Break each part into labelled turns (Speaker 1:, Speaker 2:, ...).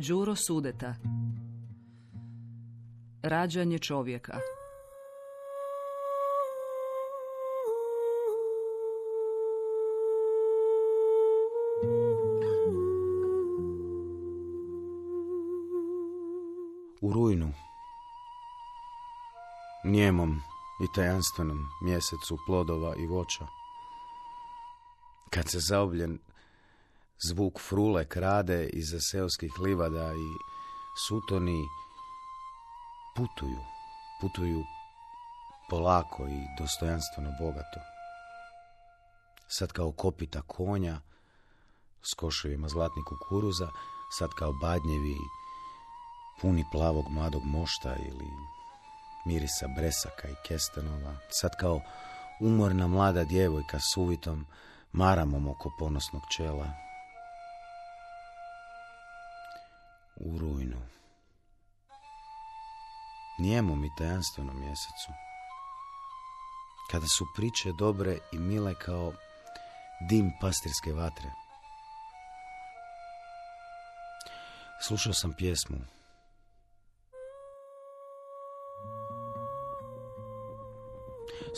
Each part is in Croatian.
Speaker 1: Đuro Sudeta. Rađanje čovjeka.
Speaker 2: U rujnu, njemom i tajanstvenom mjesecu plodova i voća, kad se zaobljen zvuk frule krade iza seoskih livada i sutoni putuju polako i dostojanstveno bogato. Sad kao kopita konja s koševima zlatnih kukuruza, sad kao badnjevi puni plavog mladog mošta ili mirisa bresaka i kestenova, sad kao umorna mlada djevojka s uvitom maramom oko ponosnog čela. U rujnu, nijemom i tajanstvenom mjesecu, kada su priče dobre i mile kao dim pastirske vatre. Slušao sam pjesmu.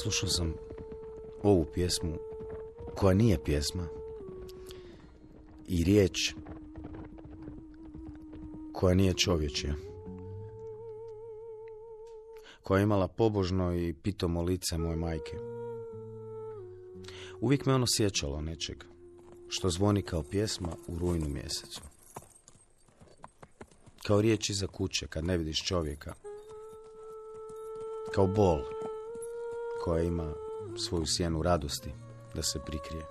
Speaker 2: Slušao sam ovu pjesmu, koja nije pjesma, i riječ koja nije čovječja, koja je imala pobožno i pitomo lice moje majke. Uvijek me ono sjećalo nečeg, što zvoni kao pjesma u rujnu mjesecu. Kao riječ iza kuće kad ne vidiš čovjeka. Kao bol koja ima svoju sjenu radosti da se prikrije.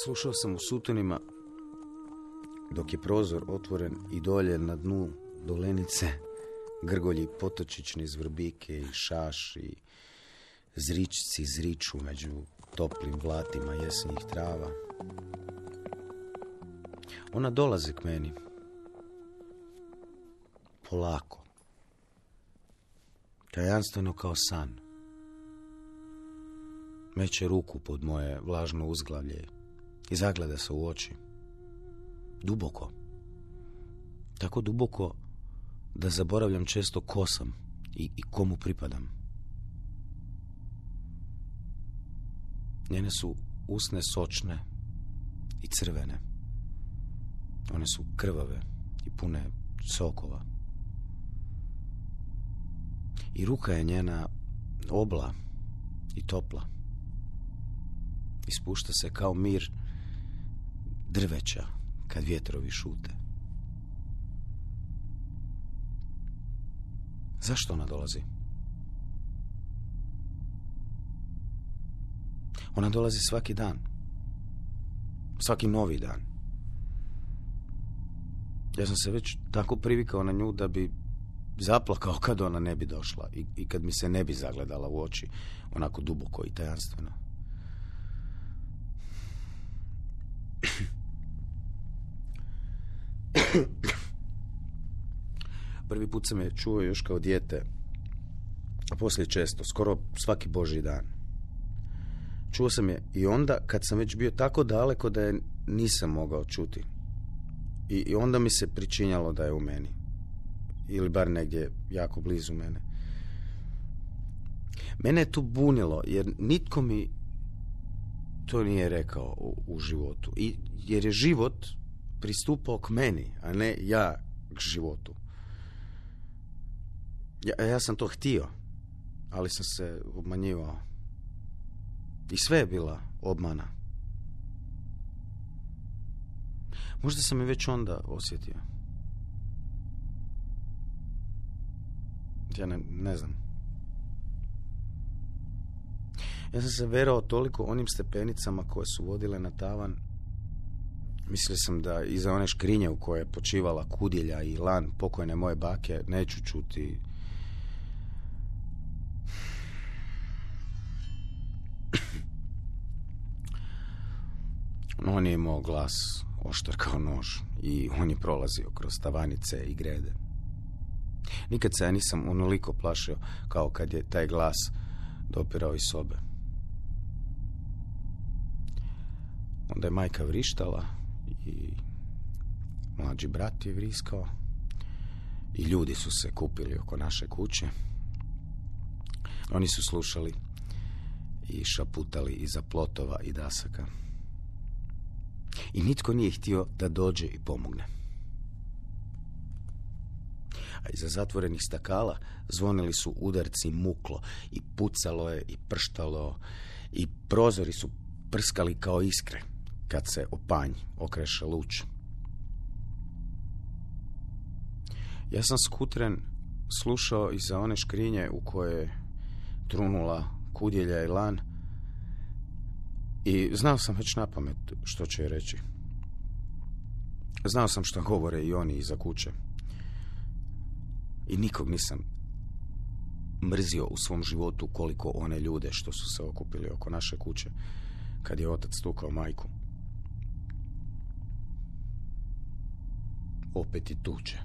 Speaker 2: Slušao sam u sutonima dok je prozor otvoren i dolje na dnu dolenice grgolji potočićni zvrbike i šaš i zričci zriču među toplim blatima jesenjih trava. Ona dolazi k meni polako, tajanstveno kao san. Meće ruku pod moje vlažno uzglavlje i zagleda se u oči. Duboko. Tako duboko da zaboravljam često ko sam i komu pripadam. Njene su usne sočne i crvene. One su krvave i pune sokova. I ruka je njena obla i topla. Ispušta se kao mir drveća kad vjetrovi šute. Zašto ona dolazi? Ona dolazi svaki dan. Svaki novi dan. Ja sam se već tako privikao na nju da bi zaplakao kad ona ne bi došla i kad mi se ne bi zagledala u oči onako duboko i tajanstveno. Prvi put sam je čuo još kao dijete, a poslije često, skoro svaki božji dan. Čuo sam je i onda kad sam već bio tako daleko da je nisam mogao čuti. I onda mi se pričinjalo da je u meni. Ili bar negdje jako blizu mene. Mene je tu bunilo, jer nitko mi to nije rekao u životu. Jer je život pristupao k meni, a ne ja k životu. Ja sam to htio, ali sam se obmanjivao. I sve je bila obmana. Možda sam je već onda osjetio. Ja ne znam. Ja sam se verao toliko onim stepenicama koje su vodile na tavan. Mislio sam da iza one škrinje u kojoj je počivala kudilja i lan pokojne moje bake neću čuti on je imao glas oštar kao nož i on je prolazio kroz tavanice i grede. Nikad se ja nisam onoliko plašio kao kad je taj glas dopirao iz sobe. Onda je majka vrištala i mlađi brat je vriskao i ljudi su se kupili oko naše kuće. Oni su slušali i šaputali iza plotova i dasaka. I nitko nije htio da dođe i pomogne. A iza zatvorenih stakala zvonili su udarci muklo i pucalo je i prštalo i prozori su prskali kao iskre kad se o panj okreše luč. Ja sam skutren slušao iza one škrinje u koje je trunula kudjelja i lan i znao sam već napamet što će reći. Znao sam što govore i oni iza kuće. I nikog nisam mrzio u svom životu koliko one ljude što su se okupili oko naše kuće kad je otac tukao majku. Opet i tuče.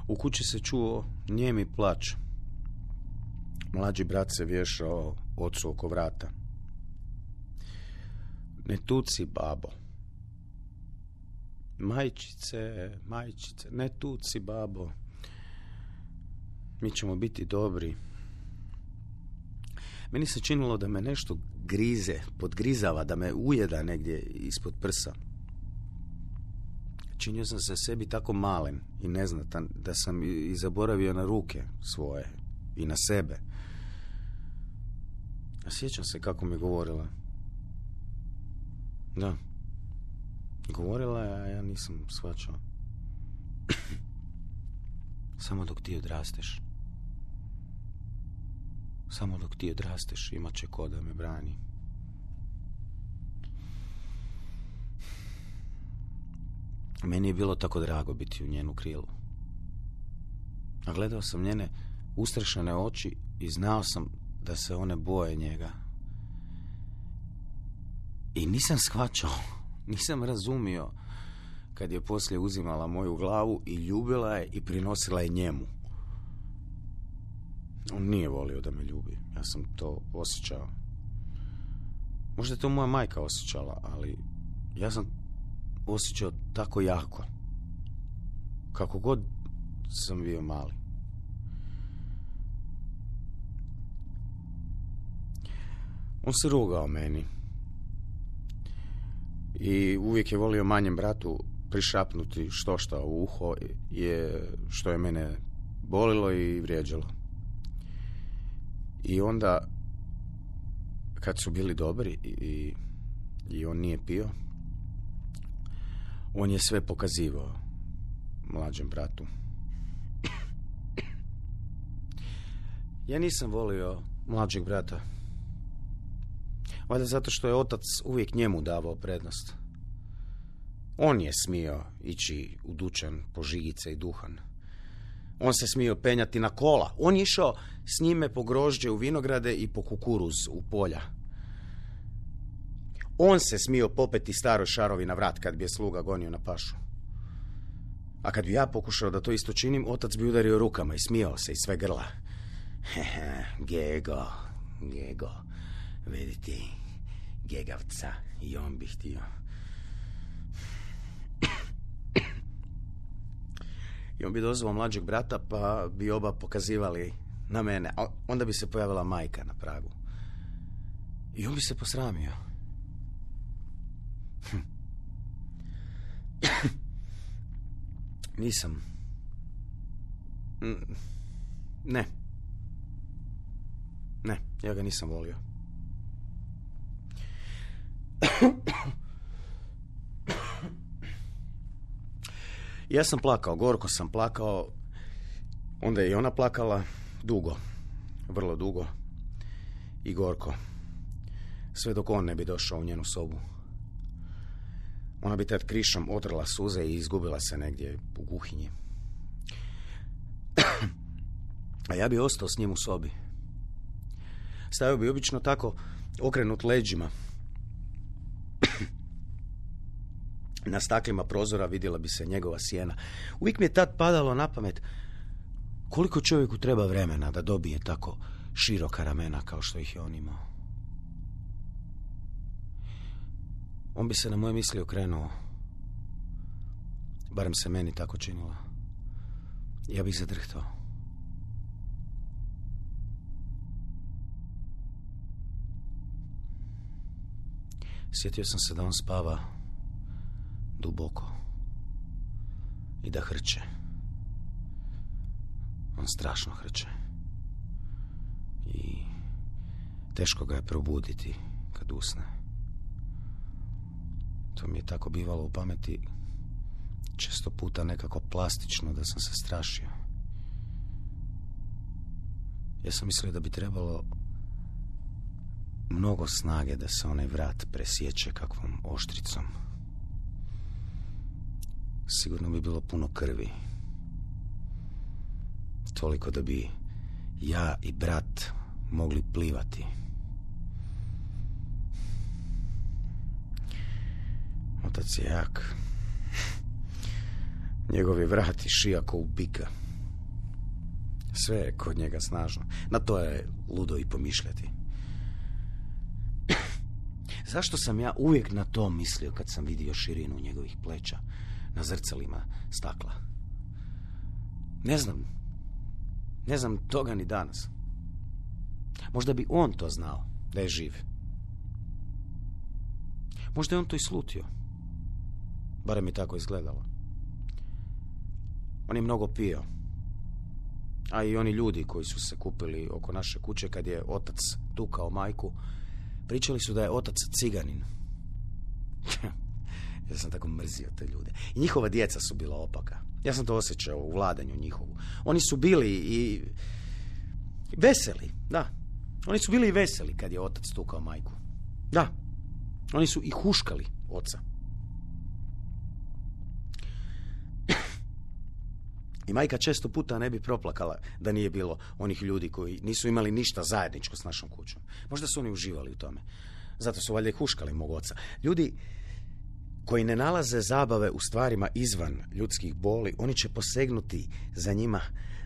Speaker 2: U kući se čuo nijemi plač. Mlađi brat se vješao ocu oko vrata. Ne tuci, babo. Majčice, ne tuci, babo. Mi ćemo biti dobri. Meni se činilo da me nešto grize, podgrizava, da me ujeda negdje ispod prsa. Činio sam se sebi tako malen i neznatan da sam i zaboravio na ruke svoje i na sebe. A sjećam se kako mi govorila. Da. Govorila je, a ja nisam shvaćao. Samo dok ti odrasteš. Samo dok ti odrasteš, imat će ko da me brani. Meni je bilo tako drago biti u njenu krilu. A gledao sam njene ustrašene oči i znao sam da se one boje njega. I nisam shvaćao, nisam razumio kad je poslije uzimala moju glavu i ljubila je i prinosila je njemu. On nije volio da me ljubi, ja sam to osjećao. Možda je to moja majka osjećala, ali ja sam osjećao tako jako. Kako god sam bio mali. On se rugao meni. I uvijek je volio manjem bratu prišapnuti štošta u uho, što je mene bolilo i vrijeđalo. I onda, kad su bili dobri i on nije pio, on je sve pokazivao mlađem bratu. Ja nisam volio mlađeg brata. Valjda zato što je otac uvijek njemu davao prednost. On je smio ići u dućan po žigice i duhan. On se smio penjati na kola. On je išao s njime po grožđe u vinograde i po kukuruz u polja. On se smio popeti staroj šarovi na vrat kad bi je sluga gonio na pašu. A kad bi ja pokušao da to isto činim, otac bi udario rukama i smijao se iz sve grla. Gego, vidi ti, gegavca, i on bi htio. I on bi dozvao mlađeg brata, pa bi oba pokazivali na mene. A onda bi se pojavila majka na pragu. I on bi se posramio. Nisam. Ne, ja ga nisam volio. Ja sam plakao, gorko sam plakao. Onda je i ona plakala dugo, vrlo dugo i gorko. Sve dok on ne bi došao u njenu sobu. Ona bi tad krišom otrla suze i izgubila se negdje u kuhinji. A ja bi ostao s njim u sobi. Stajao bi obično tako okrenut leđima. Na staklima prozora vidjela bi se njegova sjena. Uvijek mi je tad padalo na pamet koliko čovjeku treba vremena da dobije tako široka ramena kao što ih je on imao. On bi se na moje misli okrenuo. Barem se meni tako činilo. Ja bih zadrhtao. Sjetio sam se da on spava duboko i da hrče. On strašno hrče. I teško ga je probuditi kad usne. To mi je tako bivalo u pameti često puta nekako plastično da sam se strašio. Ja sam mislio da bi trebalo mnogo snage da se onaj vrat presječe kakvom oštricom. Sigurno bi bilo puno krvi. Toliko da bi ja i brat mogli plivati. Otac je jak. Njegov je vrat i šija ko u bika. Sve je kod njega snažno. Na to je ludo i pomišljati. Zašto sam ja uvijek na to mislio kad sam vidio širinu njegovih pleća na zrcalima stakla? Ne znam toga ni danas. Možda bi on to znao, da je živ. Možda je on to i slutio. Barem mi tako izgledalo. On je mnogo pio. A i oni ljudi koji su se kupili oko naše kuće kad je otac tukao majku, pričali su da je otac ciganin. Ja sam tako mrzio te ljude. I njihova djeca su bila opaka. Ja sam to osjećao u vladanju njihovu. Oni su bili i veseli, da. Oni su bili i veseli kad je otac tukao majku. Da. Oni su i huškali oca. I majka često puta ne bi proplakala da nije bilo onih ljudi koji nisu imali ništa zajedničko s našom kućom. Možda su oni uživali u tome. Zato su valjda i huškali mog oca. Ljudi koji ne nalaze zabave u stvarima izvan ljudskih boli, oni će posegnuti za njima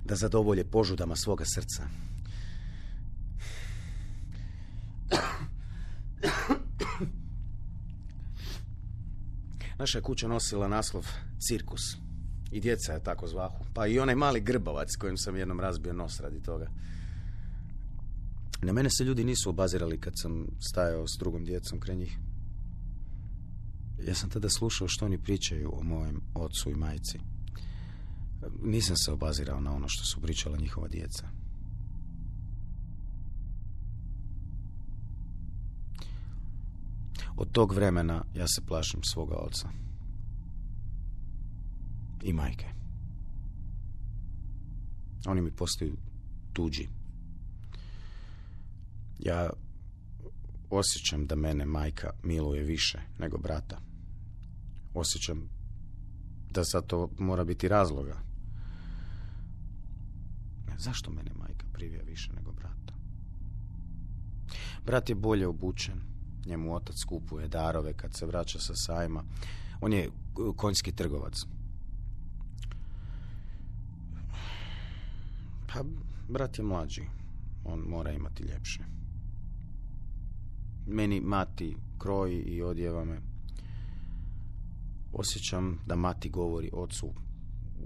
Speaker 2: da zadovolje požudama svoga srca. Naša je kuća nosila naslov Cirkus. I djeca je tako zvahu. Pa i onaj mali grbavac kojim sam jednom razbio nos radi toga. Na mene se ljudi nisu obazirali kad sam stajao s drugom djecom kraj njih. Ja sam tada slušao što oni pričaju o mojem ocu i majci. Nisam se obazirao na ono što su pričala njihova djeca. Od tog vremena ja se plašim svoga oca. I majke. Oni mi postaju tuđi. Ja osjećam da mene majka miluje više nego brata. Osjećam da za to mora biti razloga. Zašto mene majka privija više nego brata? Brat je bolje obučen. Njemu otac kupuje darove kad se vraća sa sajma. On je konjski trgovac. Pa, brat je mlađi. On mora imati ljepše. Meni mati kroji i odjeva me. Osjećam da mati govori ocu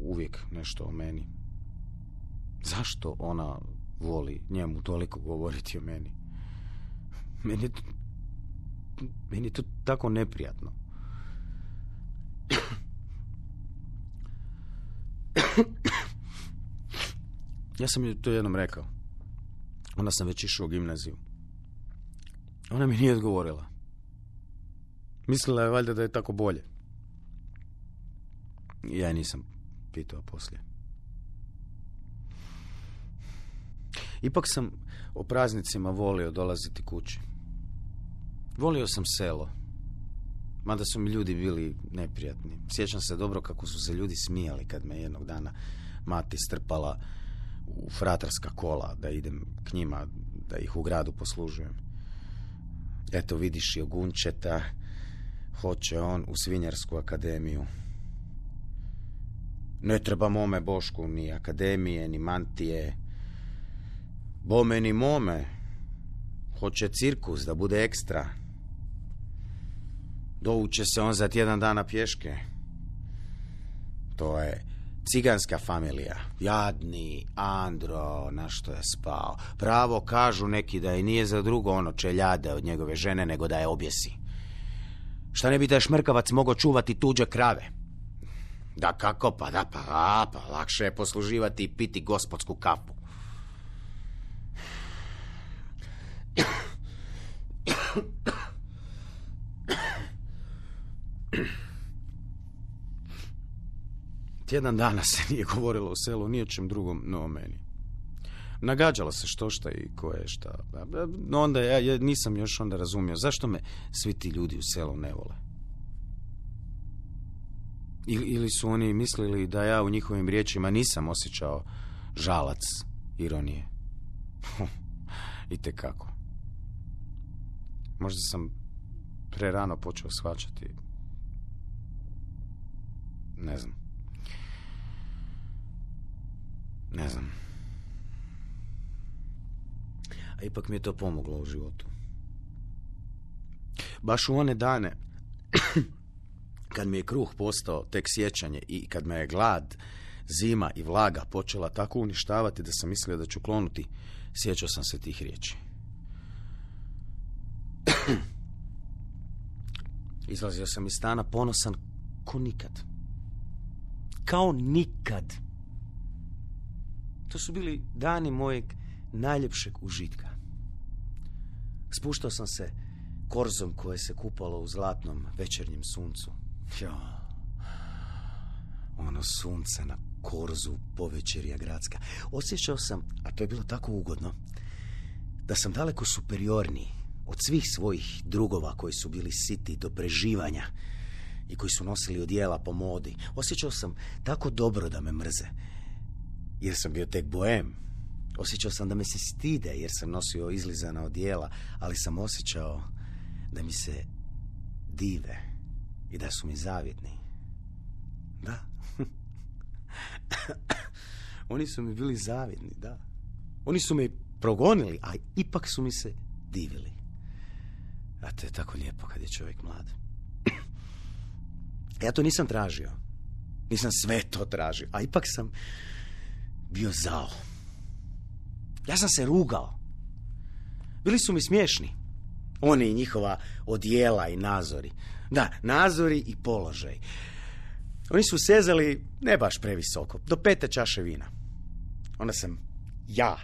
Speaker 2: uvijek nešto o meni. Zašto ona voli njemu toliko govoriti o meni? Meni je to tako neprijatno. Ja sam joj to jednom rekao. Onda sam već išao u gimnaziju. Ona mi nije odgovorila. Mislila je valjda da je tako bolje. Ja je nisam pitao poslije. Ipak sam o praznicima volio dolaziti kući. Volio sam selo. Mada su mi ljudi bili neprijatni. Sjećam se dobro kako su se ljudi smijali kad me jednog dana mati strpala u fratarska kola da idem k njima, da ih u gradu poslužujem. Eto vidiš Jogunčeta, Hoće on u Svinjarsku akademiju. Ne treba mome Bošku ni akademije, ni mantije. Bome ni mome. Hoće cirkus da bude ekstra. Dovuće se on za tjedan dana pješke. To je ciganska familija. Jadni Andro, na što je spao. Pravo kažu neki da i nije za drugo ono čeljade od njegove žene, nego da je objesi. Šta ne bi taj šmrkavac mogao čuvati tuđe krave? Da kako, pa lakše je posluživati i piti gospodsku kafu. Tjedan dana se nije govorilo u selu ni o čem drugom, no o meni. Nagađalo se što šta i ko je šta. No onda ja nisam još onda razumio zašto me svi ti ljudi u selu ne vole. Ili su oni mislili da ja u njihovim riječima nisam osjećao žalac, ironije. Itekako. Možda sam prerano počeo shvaćati. Ne znam. A ipak mi je to pomoglo u životu. Baš u one dane kad mi je kruh postao tek sjećanje i kad me je glad, zima i vlaga počela tako uništavati da sam mislio da ću klonuti, sjećao sam se tih riječi. Izlazio sam iz stana ponosan ko nikad. Kao nikad. To su bili dani mojeg najljepšeg užitka. Spuštao sam se korzom koje se kupalo u zlatnom večernjem suncu. Ono sunce na korzu povečerja gradska. Osjećao sam, a to je bilo tako ugodno, da sam daleko superiorniji od svih svojih drugova koji su bili siti do preživanja i koji su nosili odijela po modi. Osjećao sam tako dobro da me mrze, jer sam bio tek boem. Osjećao sam da me se stide jer sam nosio izlizana odijela, ali sam osjećao da mi se dive i da su mi zavjetni. Da. Oni su mi bili zavjetni, da. Oni su me progonili, a ipak su mi se divili. A to je tako lijepo kad je čovjek mlad. Ja to nisam tražio. Nisam sve to tražio, a ipak sam bio zao. Ja sam se rugao. Bili su mi smiješni. Oni i njihova odijela i nazori. Da, nazori i položaj. Oni su sezali ne baš previsoko, do 5. čaše vina. Onda sam ja,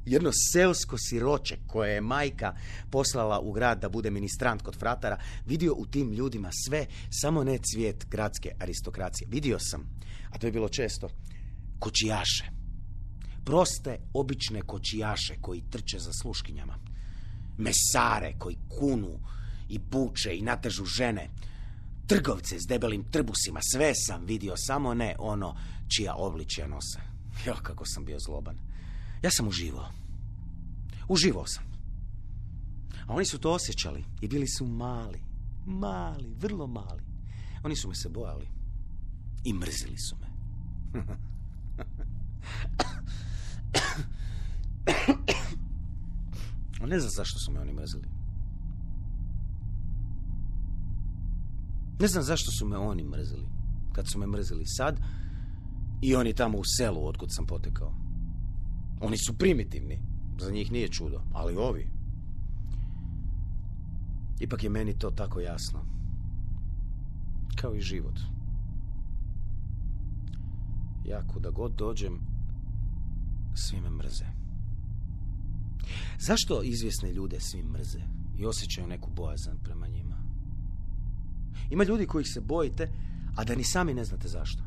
Speaker 2: jedno seosko siroče koje je majka poslala u grad da bude ministrant kod fratara, vidio u tim ljudima sve, samo ne cvijet gradske aristokracije. Vidio sam, a to je bilo često, kočijaše. Proste, obične kočijaše koji trče za sluškinjama. Mesare koji kunu i buče i natežu žene. Trgovce s debelim trbusima, sve sam vidio, samo ne ono čija obličja nose. Jo, kako sam bio zloban. Ja sam uživao. Uživao sam. A oni su to osjećali i bili su mali, vrlo mali. Oni su me se bojali i mrzili su me. Ne znam zašto su me oni mrzili. Ne znam zašto su me oni mrzili kad su me mrzili sad i oni tamo u selu otkud sam potekao. Oni su primitivni, za njih nije čudo, ali ovi. Ipak je meni to tako jasno. Kao i život. Ja kuda god dođem, svi me mrze. Zašto izvjesne ljude svi mrze i osjećaju neku bojazan prema njima? Ima ljudi kojih se bojite, a da ni sami ne znate zašto.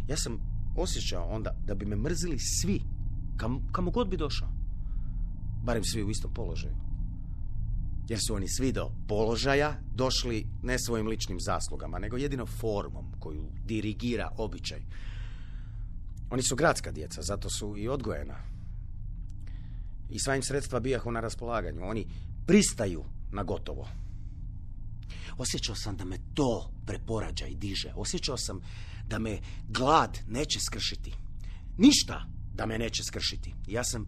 Speaker 2: Ja sam osjećao onda da bi me mrzili svi, kamo god bi došao. Barem svi u istom položaju. Jer su oni svi do položaja došli ne svojim ličnim zaslugama, nego jedino formom koju dirigira običaj. Oni su gradska djeca, zato su i odgojena. I sva im sredstva bijahu na raspolaganju. Oni pristaju
Speaker 3: na gotovo. Osjećao sam da me to preporađa i diže. Osjećao sam da me glad neće skršiti. Ništa da me neće skršiti. Ja sam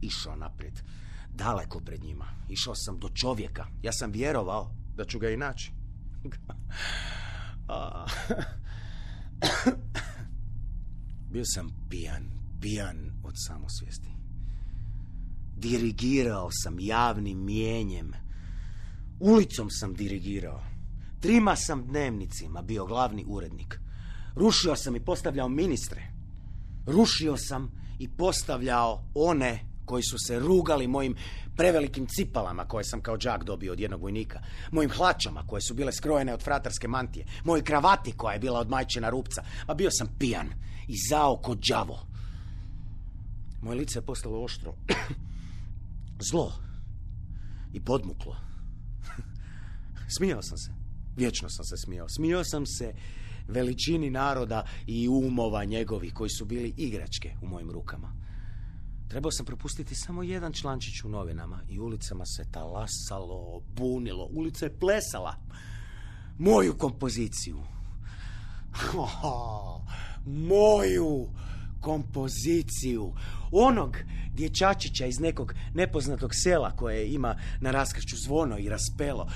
Speaker 3: išao naprijed. Daleko pred njima. Išao sam do čovjeka. Ja sam vjerovao da ću ga i naći. Bio sam pijan od samosvijesti. Dirigirao sam javnim mijenjem. Ulicom sam dirigirao. 3 sam dnevnicima bio glavni urednik. Rušio sam i postavljao ministre. Rušio sam i postavljao one koji su se rugali mojim prevelikim cipalama koje sam kao đak dobio od jednog vojnika, mojim hlačama koje su bile skrojene od fratarske mantije, mojoj kravati koja je bila od majčina rupca. A bio sam pijan i zao ko đavo. Moje lice je postalo oštro, zlo i podmuklo. Smijao sam se. Vječno sam se smijao. Smijao sam se veličini naroda i umova njegovih koji su bili igračke u mojim rukama. Trebao sam propustiti samo jedan člančić u novinama i ulicama se talasalo, bunilo. Ulica je plesala moju kompoziciju. Moju kompoziciju. Onog dječačića iz nekog nepoznatog sela koje ima na raskršću zvono i raspelo.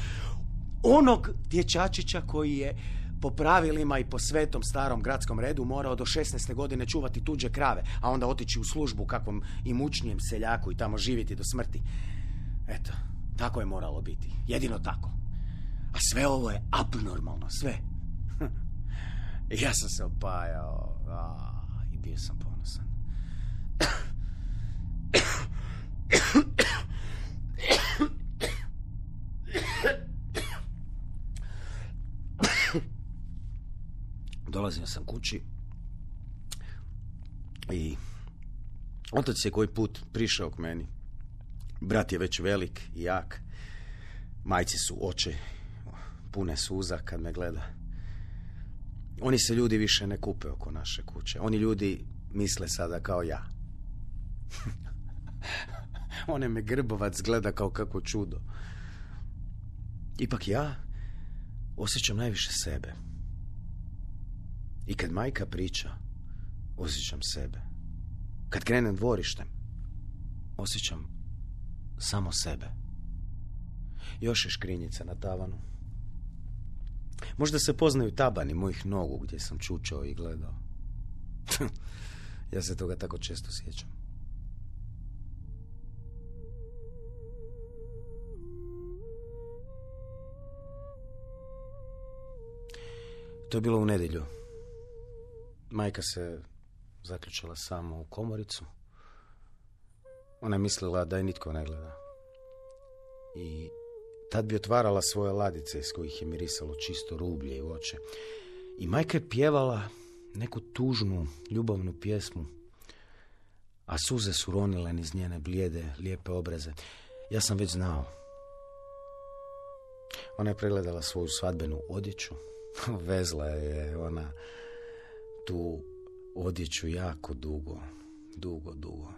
Speaker 3: Onog dječačića koji je po pravilima i po svetom starom gradskom redu morao do 16. godine čuvati tuđe krave, a onda otići u službu kakvom imućnijem seljaku i tamo živjeti do smrti. Eto, tako je moralo biti. Jedino tako. A sve ovo je abnormalno, sve. Ja sam se opajao i bio sam ponosan. Dolazio sam kući i otac je koji put prišao k meni. Brat je već velik i jak. Majci su oči pune suza kad me gleda. Oni se ljudi više ne kupe oko naše kuće. Oni ljudi misle sada kao ja. One me Grbovac gleda kao kako čudo. Ipak ja osjećam najviše sebe. I kad majka priča, osjećam sebe. Kad krenem dvorištem, osjećam samo sebe. Još je škrinjica na tavanu. Možda se poznaju tabani mojih nogu gdje sam čučao i gledao. Ja se toga tako često sjećam. To je bilo u nedjelju. Majka se zaključala samo u komoricu. Ona je mislila da je nitko ne gleda. I tad bi otvarala svoje ladice iz kojih je mirisalo čisto rublje i voće. I majka je pjevala neku tužnu, ljubavnu pjesmu, a suze su ronile niz njene blijede, lijepe obraze. Ja sam već znao. Ona je pregledala svoju svadbenu odjeću. Vezla je ona tu odjeću jako dugo,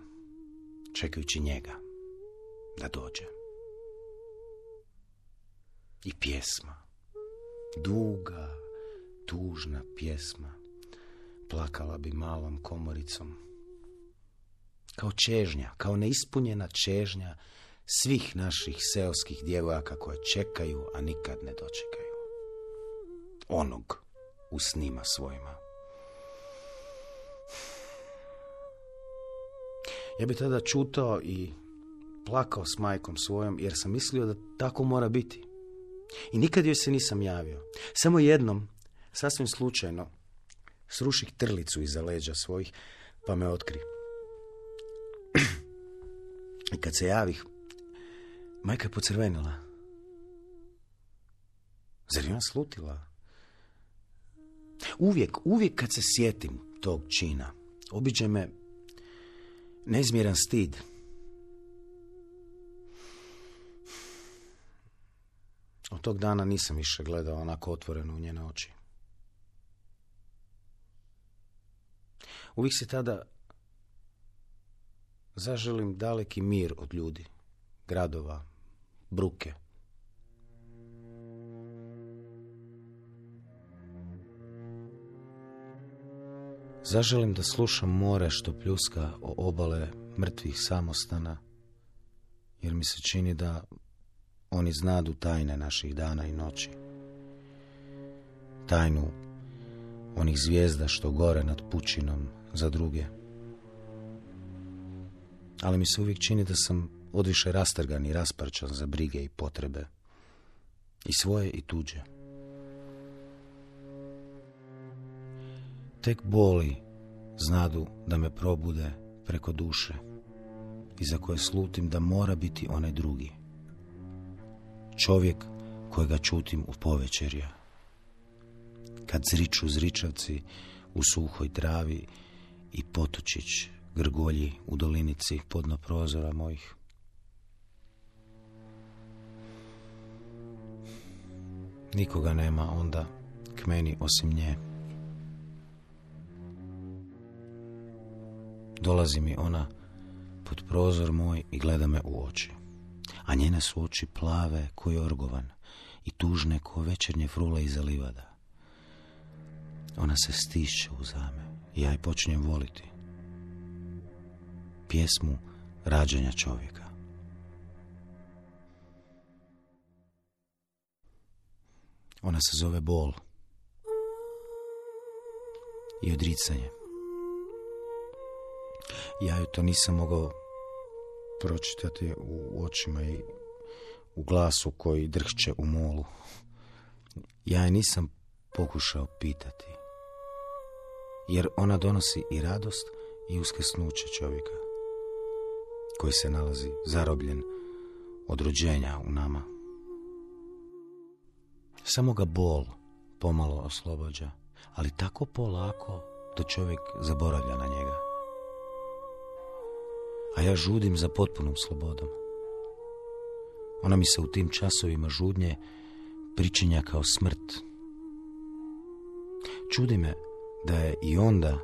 Speaker 3: čekajući njega da dođe. I pjesma, duga, tužna pjesma, plakala bi malom komoricom. Kao čežnja, kao neispunjena čežnja svih naših seoskih djevojaka koje čekaju, a nikad ne dočekaju. Onog u snima svojima. Ja bi tada čutao i plakao s majkom svojom, jer sam mislio da tako mora biti. I nikad joj se nisam javio. Samo jednom, sasvim slučajno, sruših trlicu iza leđa svojih, pa me otkri. I kad se javih, majka je pocrvenila. Zar je ona slutila? Uvijek kad se sjetim tog čina, obiđe me neizmjeran stid. Od tog dana nisam više gledao onako otvoreno u njene oči. Uvijek se tada zaželim daleki mir od ljudi, gradova,
Speaker 2: bruke. Zaželim da slušam more što pljuska o obale mrtvih samostana, jer mi se čini da oni znadu tajne naših dana i noći. Tajnu onih zvijezda što gore nad pučinom za druge. Ali mi se uvijek čini da sam odviše rastrgan i rasparčan za brige i potrebe. I svoje i tuđe. Tek boli znadu da me probude preko duše i za koje slutim da mora biti onaj drugi. Čovjek kojega čutim u povečerja. Kad zriču zričavci u suhoj travi i potučić grgolji u dolinici podno prozora mojih. Nikoga nema onda k meni osim nje. Dolazi mi ona pod prozor moj i gleda me u oči. A njene su oči plave ko jorgovan i tužne ko večernje frule iza livada. Ona se stišće uzame i ja je počinjem voliti. Pjesmu rađanja čovjeka. Ona se zove bol i odricanje. Ja ju to nisam mogao pročitati u očima i u glasu koji drhće u molu. Ja je nisam pokušao pitati, jer ona donosi i radost i uskrsnuće čovjeka, koji se nalazi zarobljen od rođenja u nama. Samo ga bol pomalo oslobađa, ali tako polako da čovjek zaboravlja na njega. A ja žudim za potpunom slobodom. Ona mi se u tim časovima žudnje pričinja kao smrt. Čudi me da je i onda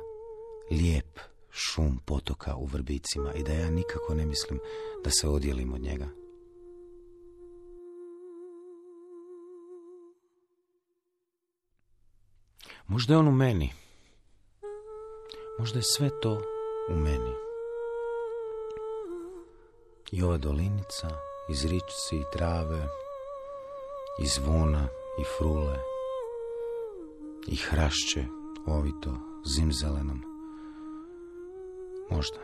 Speaker 2: lijep šum potoka u vrbicima i da ja nikako ne mislim da se odjelim od njega. Možda je on u meni. Možda je sve to u meni. I ova dolinica, iz ričci i trave, i zvona i frule, i hrašće ovito zimzelenom. Možda.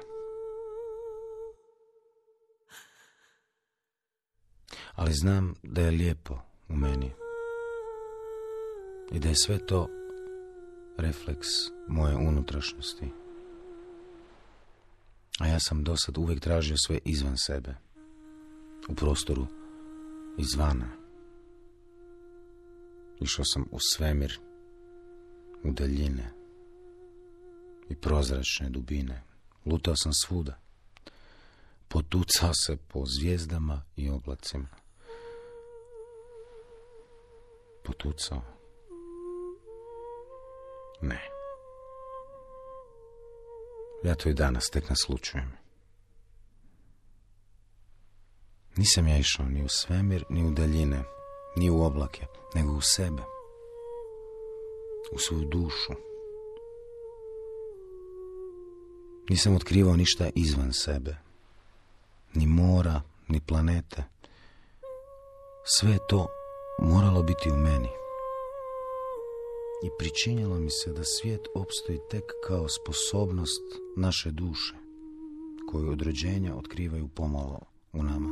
Speaker 2: Ali znam da je lijepo u meni i da je sve to refleks moje unutrašnjosti. A ja sam dosad uvijek tražio sve izvan sebe, u prostoru izvana. Išao sam u svemir, u daljine i prozračne dubine. Lutao sam svuda. Potucao se po zvijezdama i oblacima. Potucao. Ne. Ja to i danas tek naslučujem. Nisam ja išao ni u svemir, ni u daljine, ni u oblake, nego u sebe. U svoju dušu. Nisam otkrivao ništa izvan sebe. Ni mora, ni planete. Sve je to moralo biti u meni. I pričinjalo mi se da svijet opstoji tek kao sposobnost naše duše, koju od rođenja otkrivaju pomalo u nama.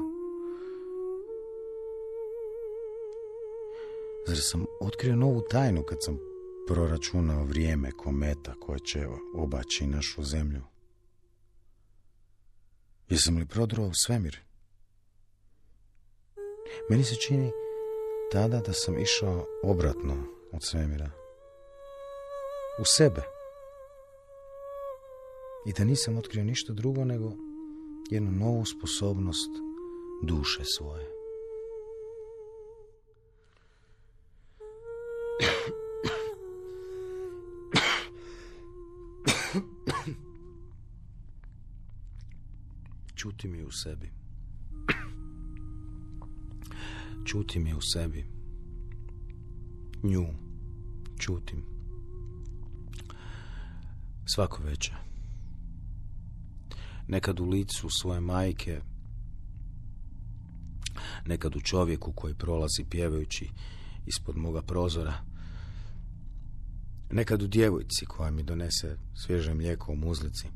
Speaker 2: Zar sam otkrio novu tajnu kad sam proračunao vrijeme kometa koje će obaći našu zemlju? Jesam li prodruo u svemir? Meni se čini tada da sam išao obratno od svemira. U sebe. I da nisam otkrio ništa drugo nego jednu novu sposobnost duše svoje. Čuti mi u sebi. Čutim je u sebi. Nju čutim. Svako večer. Nekad u licu svoje majke, nekad u čovjeku koji prolazi pjevajući ispod moga prozora, nekad u djevojci koja mi donese svježe mlijeko u muzlici.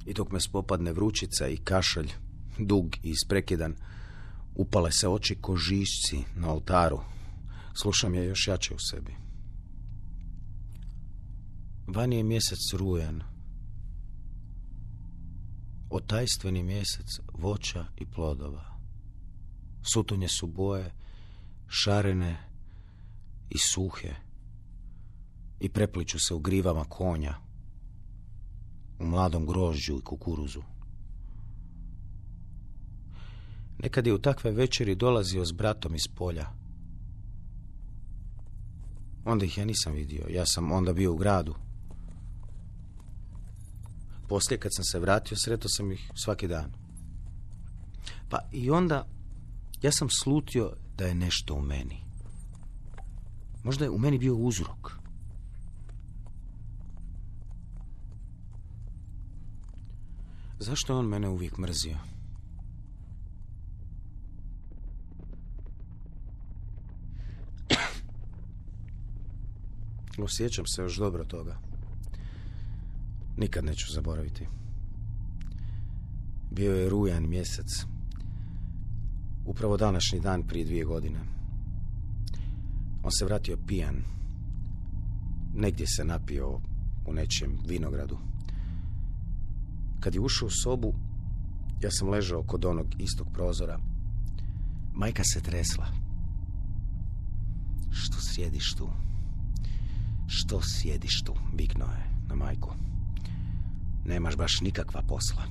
Speaker 2: I dok me spopadne vrućica i kašalj, dug i isprekidan, upale se oči ko žišci na oltaru. Slušam je još jače u sebi. Vani je mjesec rujan. Otajstveni mjesec voća i plodova. Sutonje su boje, šarene i suhe. I prepliču se u grivama konja, u mladom grožđu i kukuruzu. Nekad je u takve večeri dolazio s bratom iz polja. Onda ih ja nisam vidio, ja sam onda bio u gradu. Poslije kad sam se vratio, sretao sam ih svaki dan. Pa i onda ja sam slutio da je nešto u meni. Možda je u meni bio uzrok. Zašto je on mene uvijek mrzio? Osjećam se još dobro toga. Nikad neću zaboraviti. Bio je rujan mjesec. Upravo današnji dan prije 2 godine. On se vratio pijan. Negdje se napio u nečijem vinogradu. Kad je ušao u sobu, ja sam ležao kod onog istog prozora. Majka se tresla. Što sjediš tu? Što sjediš tu? Viknuo je na majku. Nemaš baš nikakva posla.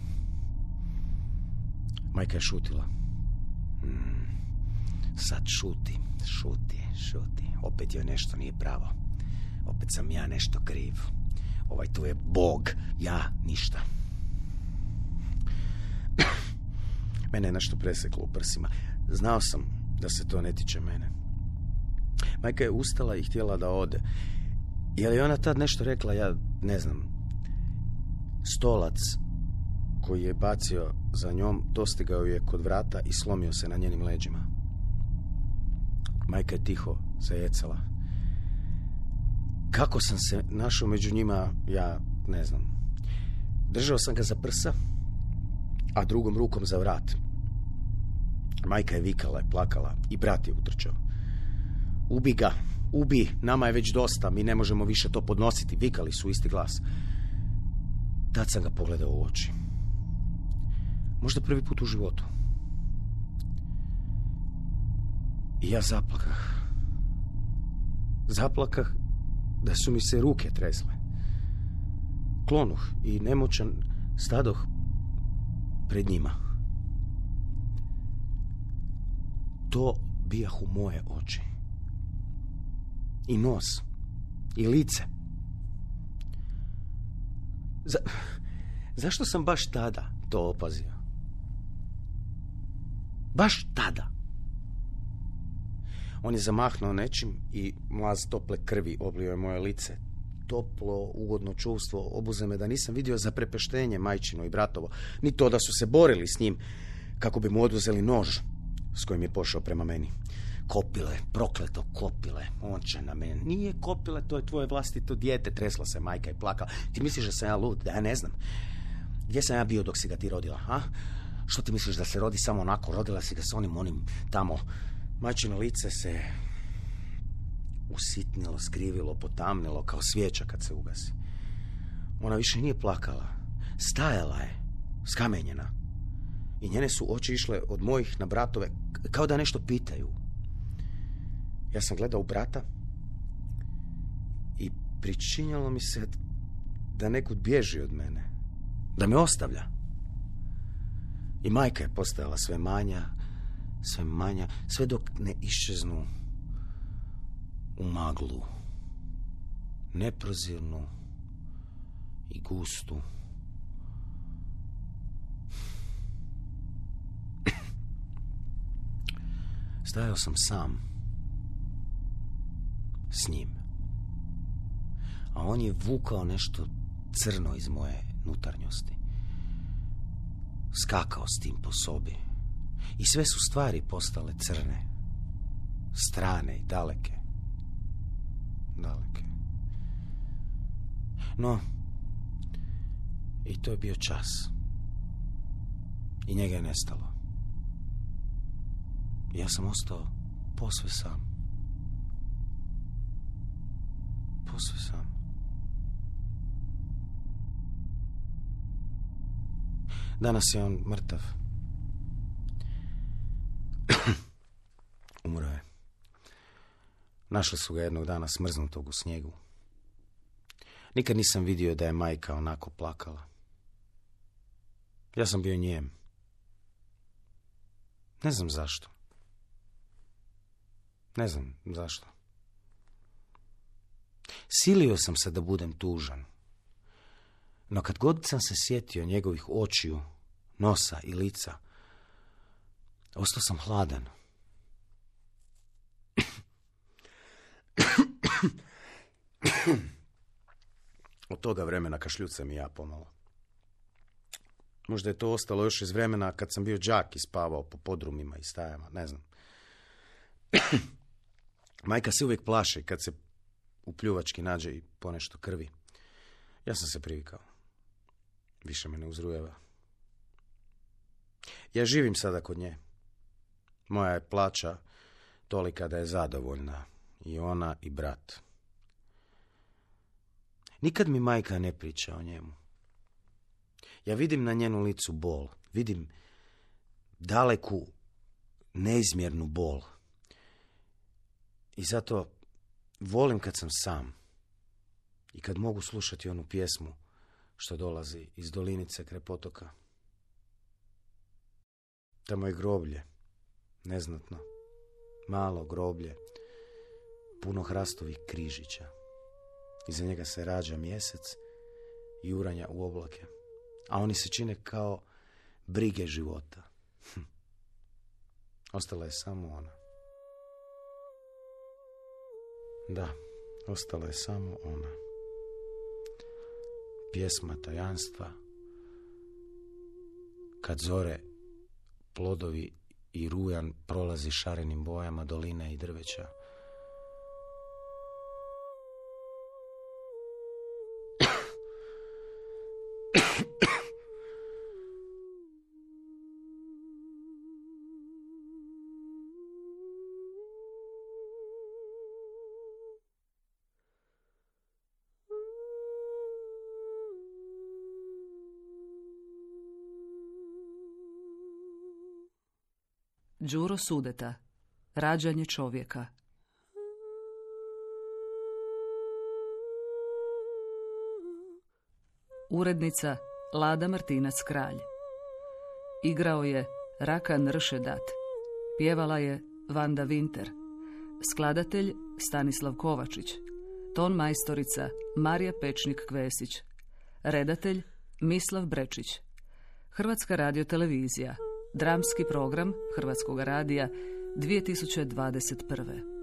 Speaker 2: Majka je šutila. Sad šuti. Opet joj nešto nije pravo. Opet sam ja nešto kriv. Ovaj tu je Bog, ja ništa. Mene je nešto preseklo u prsima. Znao sam da se to ne tiče mene. Majka je ustala i htjela da ode. Je li ona tad nešto rekla, ja ne znam. Stolac koji je bacio za njom dostigao je kod vrata i slomio se na njenim leđima. Majka je tiho zajecala. Kako sam se našao među njima, ja ne znam. Držao sam ga za prsa, a drugom rukom za vrat. Majka je vikala i plakala i brat je utrčao. Ubi ga, ubi, nama je već dosta, mi ne možemo više to podnositi, vikali su isti glas. Tad sam ga pogledao u oči. Možda prvi put u životu. I ja zaplakah. Zaplakah da su mi se ruke tresle. Klonuh i nemoćan stadoh pred njima. To bijahu moje oči. I nos. I lice. Zašto sam baš tada to opazio? Baš tada. On je zamahnuo nečim i mlaz tople krvi oblio je moje lice. Toplo, ugodno čuvstvo obuze me da nisam vidio zaprepeštenje majčino i bratovo, ni to da su se borili s njim kako bi mu oduzeli nož s kojim je pošao prema meni. Kopile, prokleto Kopile, on će na mene. Nije Kopile, to je tvoje vlastito dijete, tresla se majka i plakala. Ti misliš da sam ja lud, da ja ne znam? Gdje sam ja bio dok si ga ti rodila, a? Što ti misliš da se rodi samo onako? Rodila si ga s onim tamo. Majčino lice se usitnilo, skrivilo, potamnilo kao svijeća kad se ugasi. Ona više nije plakala. Stajala je, skamenjena. I njene su oči išle od mojih na bratove, kao da nešto pitaju. Ja sam gledao u brata i pričinjalo mi se da nekud bježi od mene. Da me ostavlja. I majka je postajala sve manja, sve dok ne iščeznu u maglu. Neprozirnu i gustu. Stajao sam sam. S njim. A on je vukao nešto crno iz moje unutarnjosti. Skakao s tim po sobi. I sve su stvari postale crne. Strane i daleke. Daleke. No, i to je bio čas. I njega je nestalo. Ja sam ostao posve sam. Posve sam. Danas je on mrtav. Umro je. Našli su ga jednog dana smrznutog u snijegu. Nikad nisam vidio da je majka onako plakala. Ja sam bio njem. Ne znam zašto. Ne znam zašto. Silio sam se da budem tužan. No kad god sam se sjetio njegovih očiju, nosa i lica, ostao sam hladan. Od toga vremena kašljucam i ja pomalo. Možda je to ostalo još iz vremena kad sam bio đak i spavao po podrumima i stajama, ne znam. Majka se uvijek plaši kad se u pljuvački nađe i ponešto krvi. Ja sam se privikao. Više me ne uzrujeva. Ja živim sada kod nje. Moja je plaća tolika da je zadovoljna. I ona i brat. Nikad mi majka ne priča o njemu. Ja vidim na njenu licu bol. Vidim daleku, neizmjernu bol. I zato volim kad sam sam. I kad mogu slušati onu pjesmu što dolazi iz dolinice kraj potoka. Tamo je groblje, neznatno, malo groblje, puno hrastovih križića. Iza njega se rađa mjesec i uranja u oblake, a oni se čine kao brige života. Ostala je samo ona. Da, ostala je samo ona. Pjesma tajanstva, kad zore plodovi i rujan prolazi šarenim bojama doline i drveća.
Speaker 1: Đuro Sudeta. Rađanje čovjeka. Urednica Lada Martinac Kralj. Igrao je Rakan Ršedat. Pjevala je Vanda Vinter. Skladatelj Stanislav Kovačić. Ton majstorica Marija Pečnik-Kvesić. Redatelj Mislav Brečić. Hrvatska radiotelevizija. Dramski program Hrvatskog radija 2021.